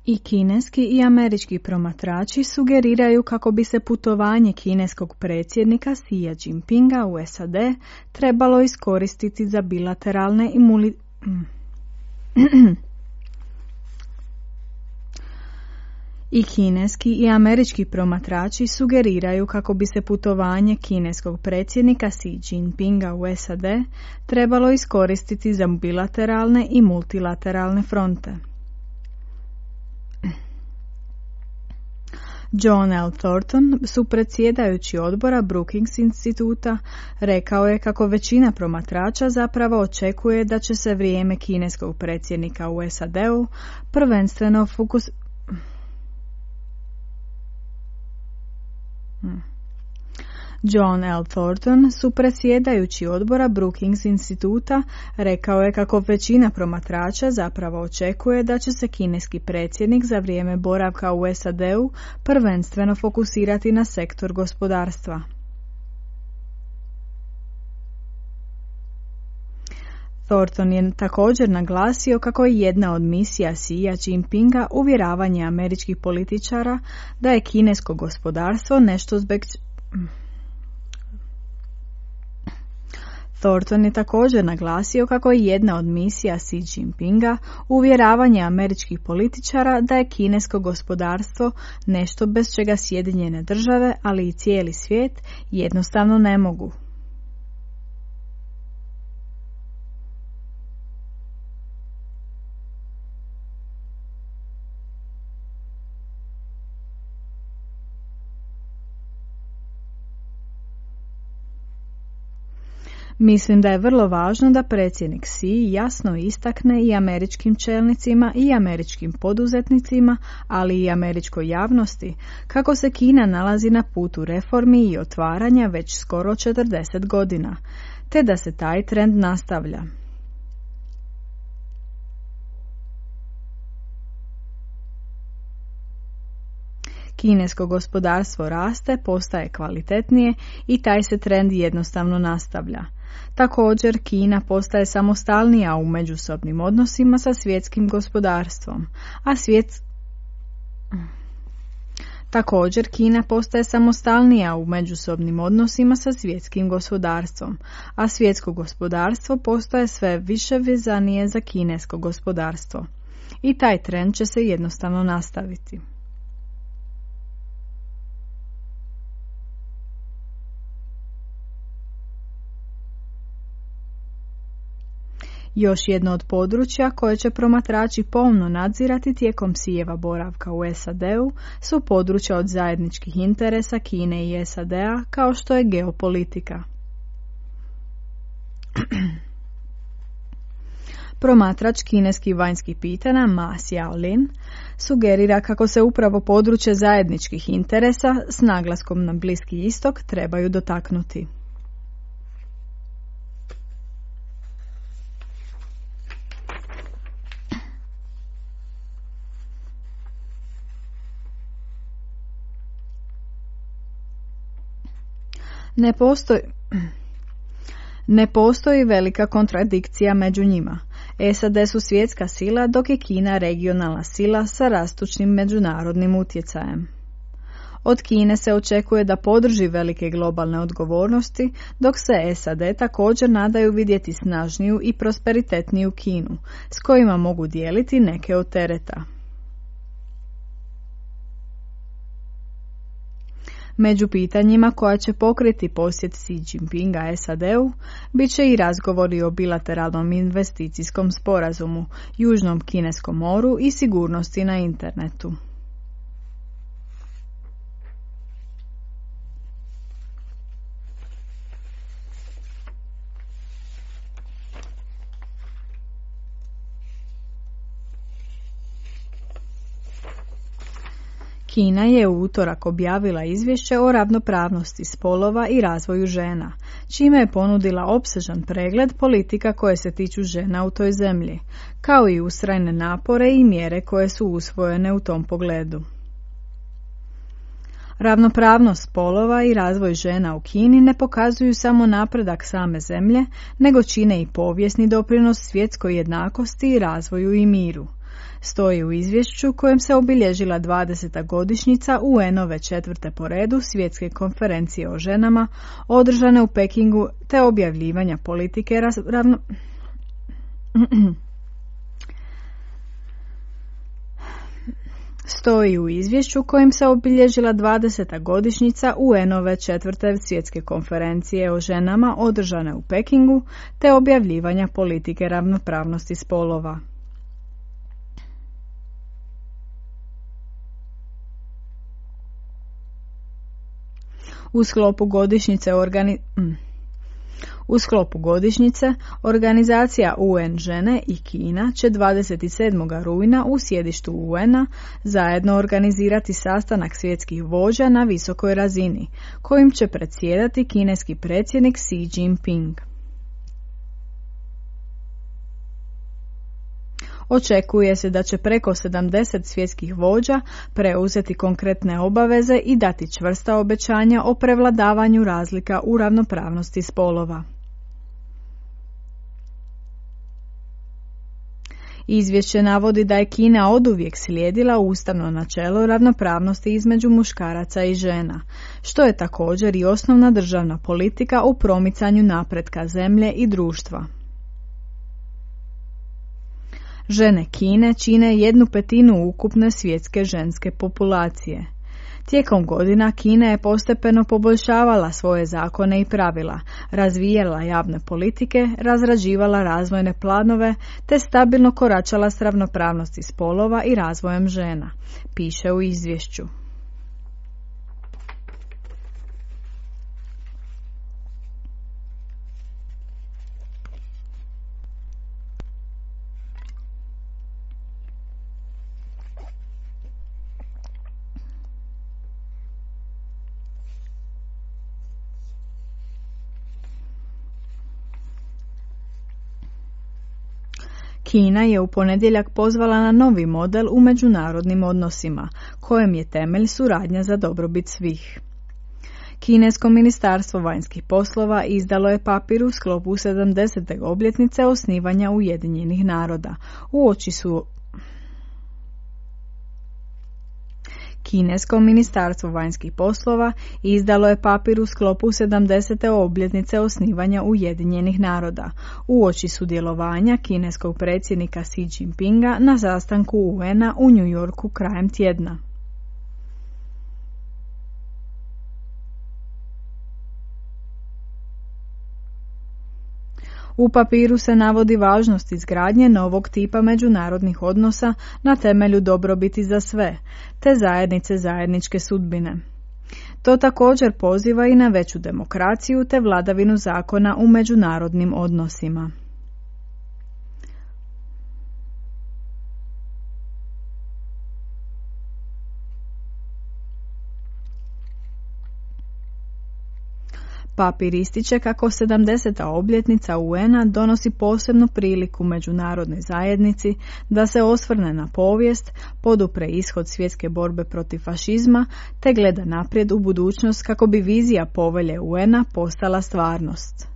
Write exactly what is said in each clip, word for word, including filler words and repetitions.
I kineski i američki promatrači sugeriraju kako bi se putovanje kineskog predsjednika Xi Jinpinga u S A D trebalo iskoristiti za bilateralne i muli... I kineski i američki promatrači sugeriraju kako bi se putovanje kineskog predsjednika Xi Jinpinga u S A D trebalo iskoristiti za bilateralne i multilateralne fronte. John L. Thornton, supredsjedajući odbora Brookings instituta, rekao je kako većina promatrača zapravo očekuje da će se vrijeme kineskog predsjednika u S A D-u prvenstveno fokus... John L. Thornton, supredsjedajući odbora Brookings instituta, rekao je kako većina promatrača zapravo očekuje da će se kineski predsjednik za vrijeme boravka u S A D-u prvenstveno fokusirati na sektor gospodarstva. Thornton je također naglasio kako je jedna od misija Xi Jinpinga uvjeravanje američkih političara da je kinesko gospodarstvo nešto zbog... Thornton je također naglasio kako je jedna od misija Xi Jinpinga uvjeravanje američkih političara da je kinesko gospodarstvo nešto bez čega Sjedinjene države, ali i cijeli svijet, jednostavno ne mogu. Mislim da je vrlo važno da predsjednik Xi jasno istakne i američkim čelnicima i američkim poduzetnicima, ali i američkoj javnosti, kako se Kina nalazi na putu reformi i otvaranja već skoro četrdeset godina, te da se taj trend nastavlja. Kinesko gospodarstvo raste, postaje kvalitetnije i taj se trend jednostavno nastavlja. Također, Kina postaje samostalnija u međusobnim odnosima sa svjetskim gospodarstvom, a svijet... Također, Kina postaje samostalnija u međusobnim odnosima sa svjetskim gospodarstvom, a svjetsko gospodarstvo postaje sve više vezanije za kinesko gospodarstvo. I taj trend će se jednostavno nastaviti. Još jedno od područja koje će promatrači pomno nadzirati tijekom Xijeva boravka u S A D-u su područja od zajedničkih interesa Kine i S A D-a, kao što je geopolitika. Promatrač kineskih vanjskih pitanja Ma Xiaolin sugerira kako se upravo područje zajedničkih interesa s naglaskom na Bliski istok trebaju dotaknuti. Ne postoji, ne postoji velika kontradikcija među njima. S A D su svjetska sila, dok je Kina regionalna sila sa rastućim međunarodnim utjecajem. Od Kine se očekuje da podrži velike globalne odgovornosti, dok se S A D također nadaju vidjeti snažniju i prosperitetniju Kinu, s kojima mogu dijeliti neke od tereta. Među pitanjima koja će pokriti posjet Xi Jinpinga S A D-u bit će i razgovori o bilateralnom investicijskom sporazumu, Južnom Kineskom moru i sigurnosti na internetu. Kina je u utorak objavila izvješće o ravnopravnosti spolova i razvoju žena, čime je ponudila opsežan pregled politika koje se tiču žena u toj zemlji, kao i ustrajne napore i mjere koje su usvojene u tom pogledu. Ravnopravnost spolova i razvoj žena u Kini ne pokazuju samo napredak same zemlje, nego čine i povijesni doprinos svjetskoj jednakosti i razvoju i miru. stoji u izvješću kojem se obilježila dvadeseta godišnjica U N-ove četvrte po redu svjetske konferencije o ženama održane u Pekingu te objavljivanja politike ravno... stoji u izvješću kojim se obilježila dvadeseta godišnjica U N-ove četvrte svjetske konferencije o ženama održane u Pekingu te objavljivanja politike ravnopravnosti spolova. U sklopu godišnjice organi... U sklopu godišnjice, organizacija U N žene i Kina će dvadeset sedmog rujna u sjedištu U N-a zajedno organizirati sastanak svjetskih vođa na visokoj razini, kojim će predsjedati kineski predsjednik Xi Jinping. Očekuje se da će preko sedamdeset svjetskih vođa preuzeti konkretne obaveze i dati čvrsta obećanja o prevladavanju razlika u ravnopravnosti spolova. Izvješće navodi da je Kina oduvijek slijedila ustavno načelo ravnopravnosti između muškaraca i žena, što je također i osnovna državna politika u promicanju napretka zemlje i društva. Žene Kine čine jednu petinu ukupne svjetske ženske populacije. Tijekom godina Kina je postepeno poboljšavala svoje zakone i pravila, razvijala javne politike, razrađivala razvojne planove te stabilno koračala s ravnopravnosti spolova i razvojem žena, piše u izvješću. Kina je u ponedjeljak pozvala na novi model u međunarodnim odnosima, kojem je temelj suradnja za dobrobit svih. Kinesko ministarstvo vanjskih poslova izdalo je papir u sklopu sedamdesete obljetnice osnivanja Ujedinjenih naroda. Uoči su Kinesko ministarstvo vanjskih poslova izdalo je papir u sklopu sedamdesete obljetnice osnivanja Ujedinjenih naroda, uoči sudjelovanja kineskog predsjednika Xi Jinpinga na sastanku U N-a u New Yorku krajem tjedna. U papiru se navodi važnost izgradnje novog tipa međunarodnih odnosa na temelju dobrobiti za sve, te zajednice zajedničke sudbine. To također poziva i na veću demokraciju te vladavinu zakona u međunarodnim odnosima. Papir ističe kako sedamdeseta obljetnica U N-a donosi posebnu priliku međunarodnoj zajednici da se osvrne na povijest, podupre ishod svjetske borbe protiv fašizma te gleda naprijed u budućnost kako bi vizija povelje U N-a postala stvarnost.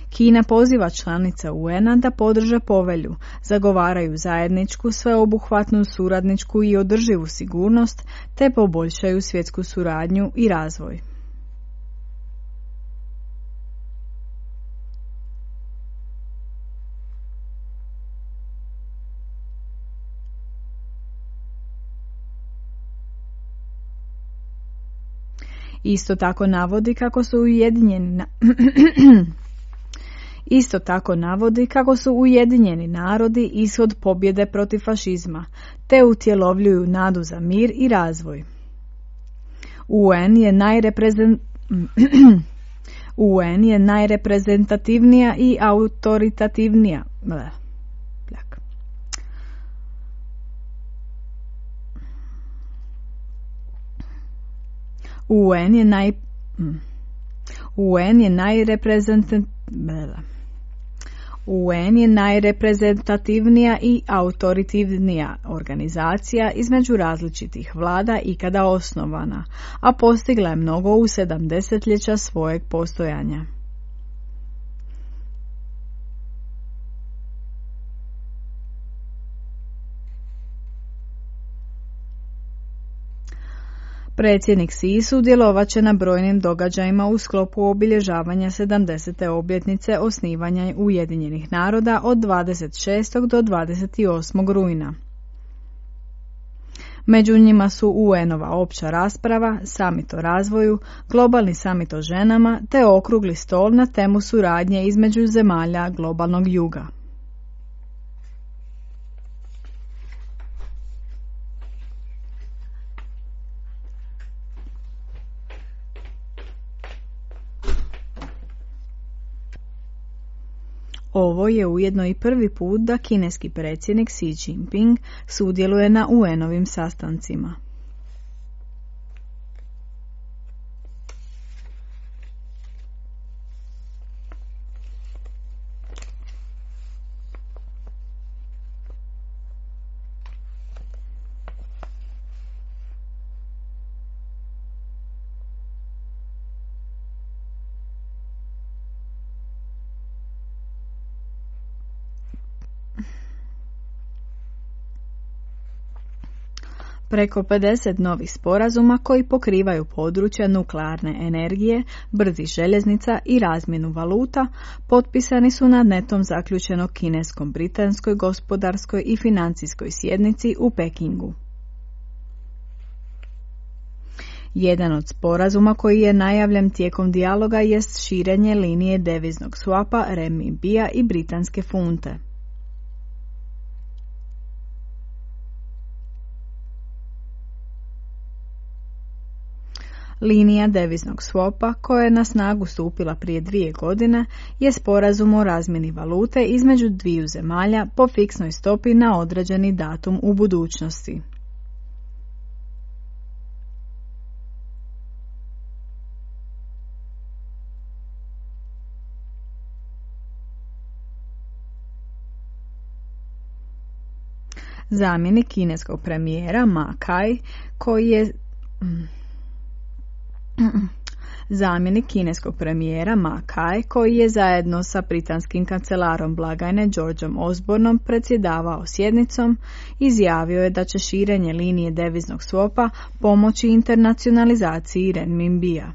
Kina poziva članice U N-a da podrže povelju, zagovaraju zajedničku, sveobuhvatnu, suradničku i održivu sigurnost te poboljšaju svjetsku suradnju i razvoj. Isto tako navodi kako su ujedinjeni na... Isto tako navodi kako su Ujedinjeni narodi ishod pobjede protiv fašizma, te utjelovljuju nadu za mir i razvoj. U N je najreprezent... U N je najreprezentativnija i autoritativnija. U N je naj U N je najreprezentativnija U N je najreprezentativnija i autoritativnija organizacija između različitih vlada ikada osnovana, a postigla je mnogo u sedamdesetljeća svojeg postojanja. Predsjednik Xi sudjelovat će na brojnim događajima u sklopu obilježavanja sedamdesete obljetnice osnivanja Ujedinjenih naroda od dvadeset šestog do dvadeset osmog rujna. Među njima su U N-ova opća rasprava, samit o razvoju, globalni samit o ženama te okrugli stol na temu suradnje između zemalja globalnog juga. Ovo je ujedno i prvi put da kineski predsjednik Xi Jinping sudjeluje na U N-ovim sastancima. Preko pedeset novih sporazuma koji pokrivaju područja nuklearne energije, brzih željeznica i razmjenu valuta potpisani su na netom zaključenog kinesko-britanskoj gospodarskoj i financijskoj sjednici u Pekingu. Jedan od sporazuma koji je najavljen tijekom dijaloga jest širenje linije deviznog swapa renminbija i britanske funte. Linija deviznog swopa, koja je na snagu stupila prije dvije godine, je sporazum o razmjeni valute između dviju zemalja po fiksnoj stopi na određeni datum u budućnosti. Zamjenik kineskog premijera Ma Kai, koji je... Zamjenik kineskog premijera Ma Kai, koji je zajedno sa britanskim kancelarom blagajne Georgeom Osbornom predsjedavao sjednicom, izjavio je da će širenje linije deviznog swopa pomoći internacionalizaciji renminbija.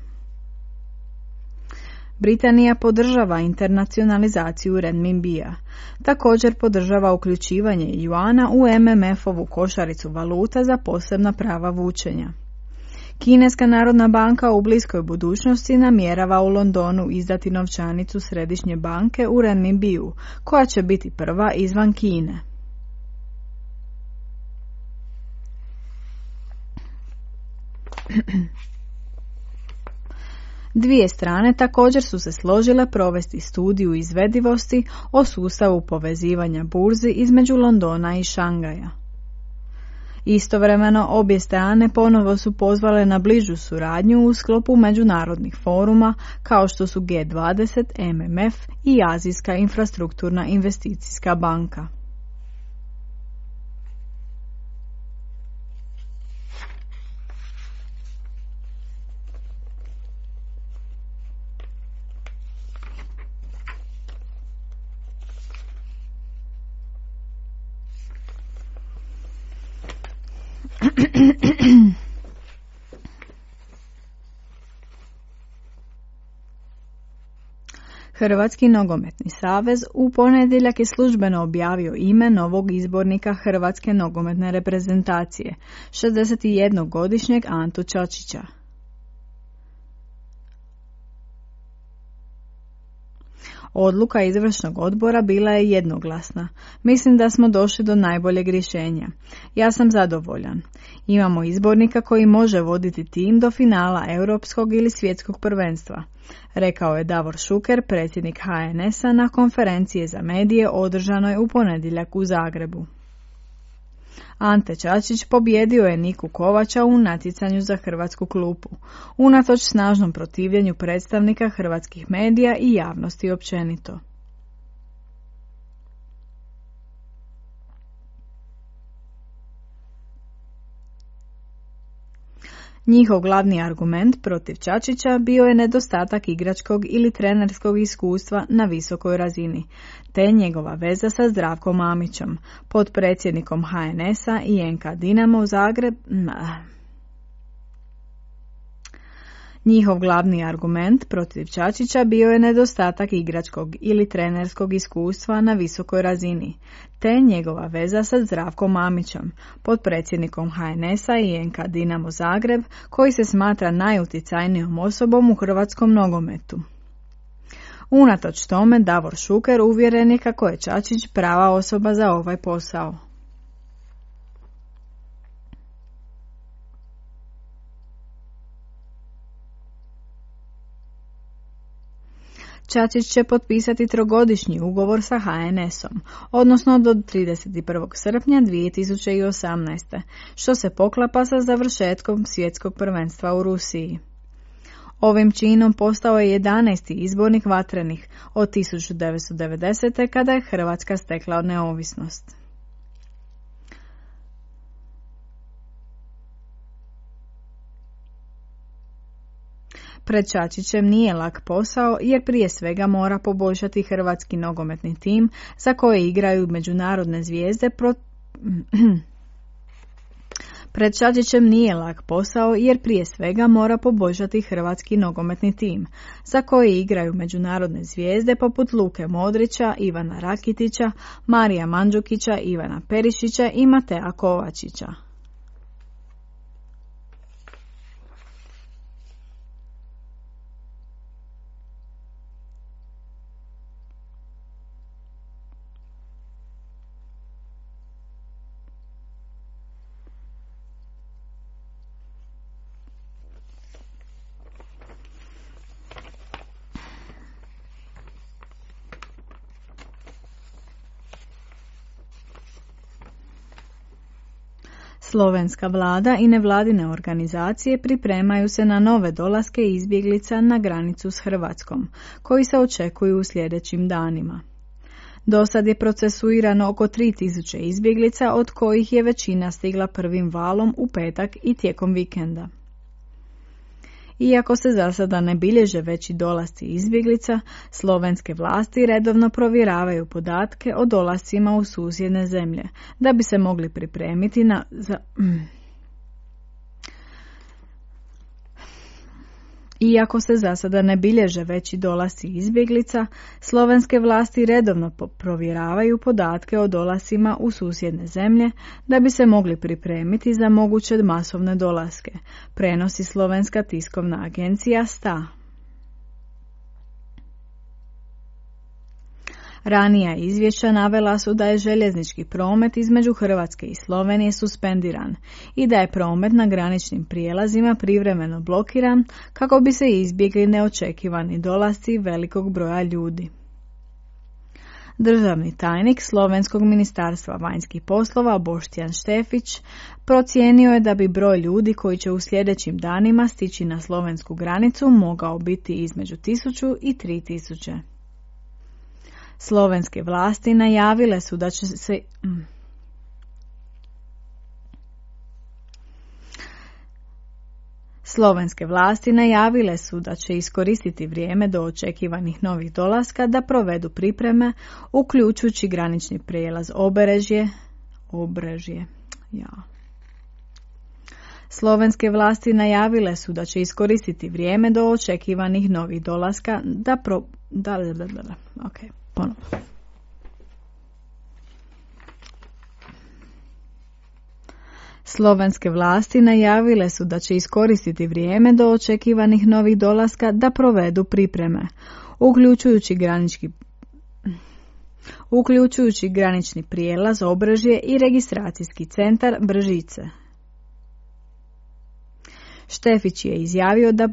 Britanija podržava internacionalizaciju renminbija. Također podržava uključivanje juana u M M F-ovu košaricu valuta za posebna prava vučenja. Kineska narodna banka u bliskoj budućnosti namjerava u Londonu izdati novčanicu središnje banke u renminbiju, koja će biti prva izvan Kine. Dvije strane također su se složile provesti studiju izvedivosti o sustavu povezivanja burzi između Londona i Šangaja. Istovremeno obje strane ponovo su pozvale na bližu suradnju u sklopu međunarodnih foruma kao što su G dvadeset, M M F i Azijska infrastrukturna investicijska banka. Hrvatski nogometni savez u ponedjeljak je službeno objavio ime novog izbornika Hrvatske nogometne reprezentacije, šezdesetjednogodišnjeg Antu Čačića. Odluka izvršnog odbora bila je jednoglasna. Mislim da smo došli do najboljeg rješenja. Ja sam zadovoljan. Imamo izbornika koji može voditi tim do finala europskog ili svjetskog prvenstva, rekao je Davor Šuker, predsjednik H N S-a na konferenciji za medije održanoj u ponedjeljak u Zagrebu. Ante Čačić pobjedio je Niku Kovača u natjecanju za hrvatsku klupu, unatoč snažnom protivljenju predstavnika hrvatskih medija i javnosti općenito. Njihov glavni argument protiv Čačića bio je nedostatak igračkog ili trenerskog iskustva na visokoj razini, te njegova veza sa Zdravkom Mamićem, potpredsjednikom H N S-a i N K Dinamo Zagreb. Njihov glavni argument protiv Čačića bio je nedostatak igračkog ili trenerskog iskustva na visokoj razini, te njegova veza sa Zdravkom Mamićem, potpredsjednikom H N S-a i N K Dinamo Zagreb, koji se smatra najuticajnijom osobom u hrvatskom nogometu. Unatoč tome, Davor Šuker uvjeren je kako je Čačić prava osoba za ovaj posao. Čačić će potpisati trogodišnji ugovor sa H N S-om, odnosno do trideset prvog srpnja dvije tisuće osamnaeste. što se poklapa sa završetkom svjetskog prvenstva u Rusiji. Ovim činom postao je jedanaesti izbornik Vatrenih od tisuću devetsto devedesete. kada je Hrvatska stekla neovisnost. Pred Čačićem nije lak posao jer prije svega mora poboljšati hrvatski nogometni tim za koje igraju međunarodne zvijezde pro... Pred Čačićem nije lak posao jer prije svega mora poboljšati hrvatski nogometni tim za koje igraju međunarodne zvijezde poput Luke Modrića, Ivana Rakitića, Marija Mandžukića, Ivana Perišića i Matea Kovačića. Slovenska vlada i nevladine organizacije pripremaju se na nove dolaske izbjeglica na granicu s Hrvatskom, koji se očekuju u sljedećim danima. Dosad je procesuirano oko tri tisuće izbjeglica, od kojih je većina stigla prvim valom u petak i tijekom vikenda. Iako se za sada ne bilježe veći dolasci izbjeglica, slovenske vlasti redovno provjeravaju podatke o dolascima u susjedne zemlje, da bi se mogli pripremiti na... Za... Iako se za sada ne bilježe veći dolasci izbjeglica, slovenske vlasti redovno provjeravaju podatke o dolascima u susjedne zemlje da bi se mogli pripremiti za moguće masovne dolaske, prenosi slovenska tiskovna agencija S T A. Ranija izvješća navela su da je željeznički promet između Hrvatske i Slovenije suspendiran i da je promet na graničnim prijelazima privremeno blokiran kako bi se izbjegli neočekivani dolasci velikog broja ljudi. Državni tajnik Slovenskog ministarstva vanjskih poslova Boštjan Štefić procijenio je da bi broj ljudi koji će u sljedećim danima stići na slovensku granicu mogao biti između tisuću i tri tisuće. Slovenske vlasti najavile su da će se... Slovenske vlasti najavile su da će iskoristiti vrijeme do očekivanih novih dolaska da provedu pripreme, uključujući granični prijelaz Obrežje. Obrežje. Ja. Slovenske vlasti najavile su da će iskoristiti vrijeme do očekivanih novih dolaska da pro... Da, da, da, da. Ok, ponovno. Slovenske vlasti najavile su da će iskoristiti vrijeme do očekivanih novih dolaska da provedu pripreme, uključujući granički uključujući granični prijelaz Obrežje i registracijski centar Bržice. Štefić je izjavio da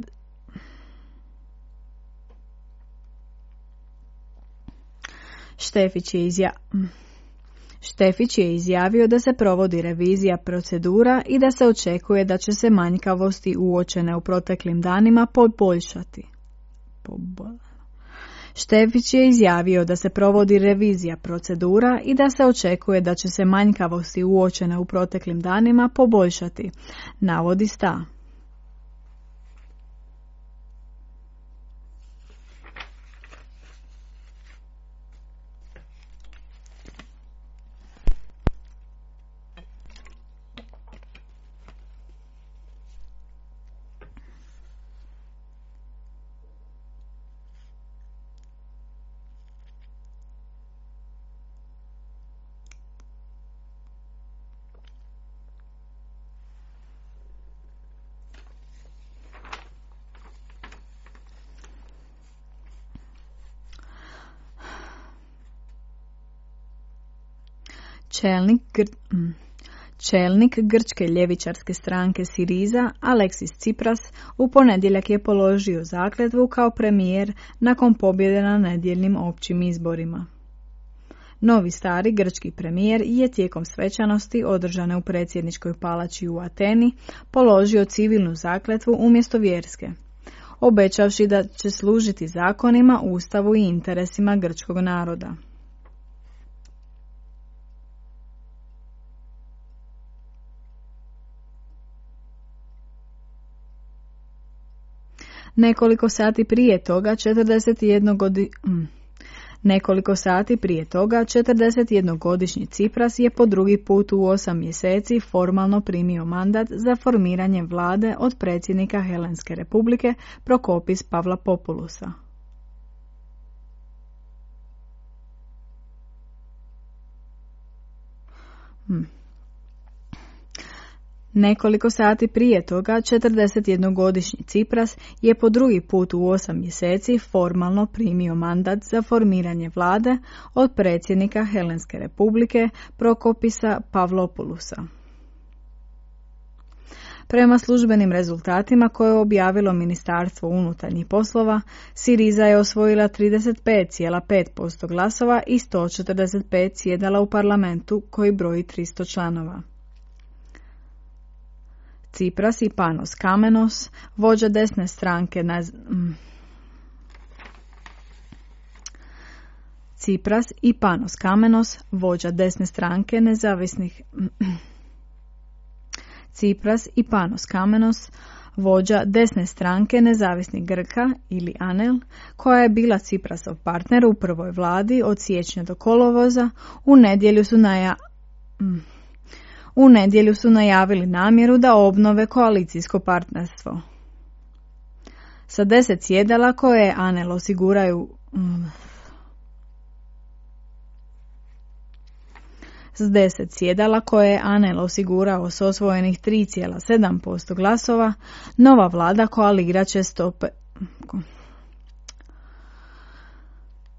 Štefić je izjavio Štefić je izjavio da se provodi revizija procedura i da se očekuje da će se manjkavosti uočene u proteklim danima poboljšati. Štefić je izjavio da se provodi revizija procedura i da se očekuje da će se manjkavosti uočene u proteklim danima poboljšati, navodi S T A. Čelnik, gr- mm. Čelnik grčke ljevičarske stranke Siriza, Aleksis Tsipras, u ponedjeljak je položio zakletvu kao premijer nakon pobjede na nedjeljnim općim izborima. Novi stari grčki premijer je tijekom svečanosti održane u predsjedničkoj palači u Ateni položio civilnu zakletvu umjesto vjerske, obećavši da će služiti zakonima, ustavu i interesima grčkog naroda. Nekoliko sati prije toga četrdeset jedan godi... Nekoliko sati prije toga četrdesetjednogodišnji Tsipras je po drugi put u osam mjeseci formalno primio mandat za formiranje vlade od predsjednika Helenske republike Prokopis Pavlopoulousa. Hmm. Nekoliko sati prije toga četrdesetjednogodišnji Tsipras je po drugi put u osam mjeseci formalno primio mandat za formiranje vlade od predsjednika Helenske republike Prokopisa Pavlopoulousa. Prema službenim rezultatima koje je objavilo Ministarstvo unutarnjih poslova, Siriza je osvojila trideset pet zarez pet posto glasova i sto četrdeset pet sjedala u parlamentu koji broji tristo članova. Tsipras i Panos Kamenos, vođa desne stranke na... Tsipras i Panos Kamenos, vođa desne stranke nezavisnih... Tsipras i Panos Kamenos, vođa desne stranke nezavisnih Grka ili ANEL, koja je bila Tsiprasov partner u prvoj vladi od siječnja do kolovoza, u nedjelju su naja... U nedjelju su najavili namjeru da obnove koalicijsko partnerstvo. Sa deset sjedala koje ANEL osiguraju... S deset sjedala koje je ANEL osigurao s osvojenih tri zarez sedam posto glasova, nova vlada koalirat će stope...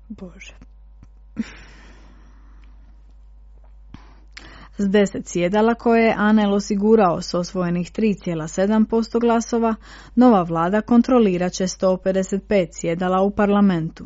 Bože... S deset sjedala koje je ANEL osigurao s osvojenih tri zarez sedam posto glasova, nova vlada kontrolirat će sto pedeset pet sjedala u parlamentu.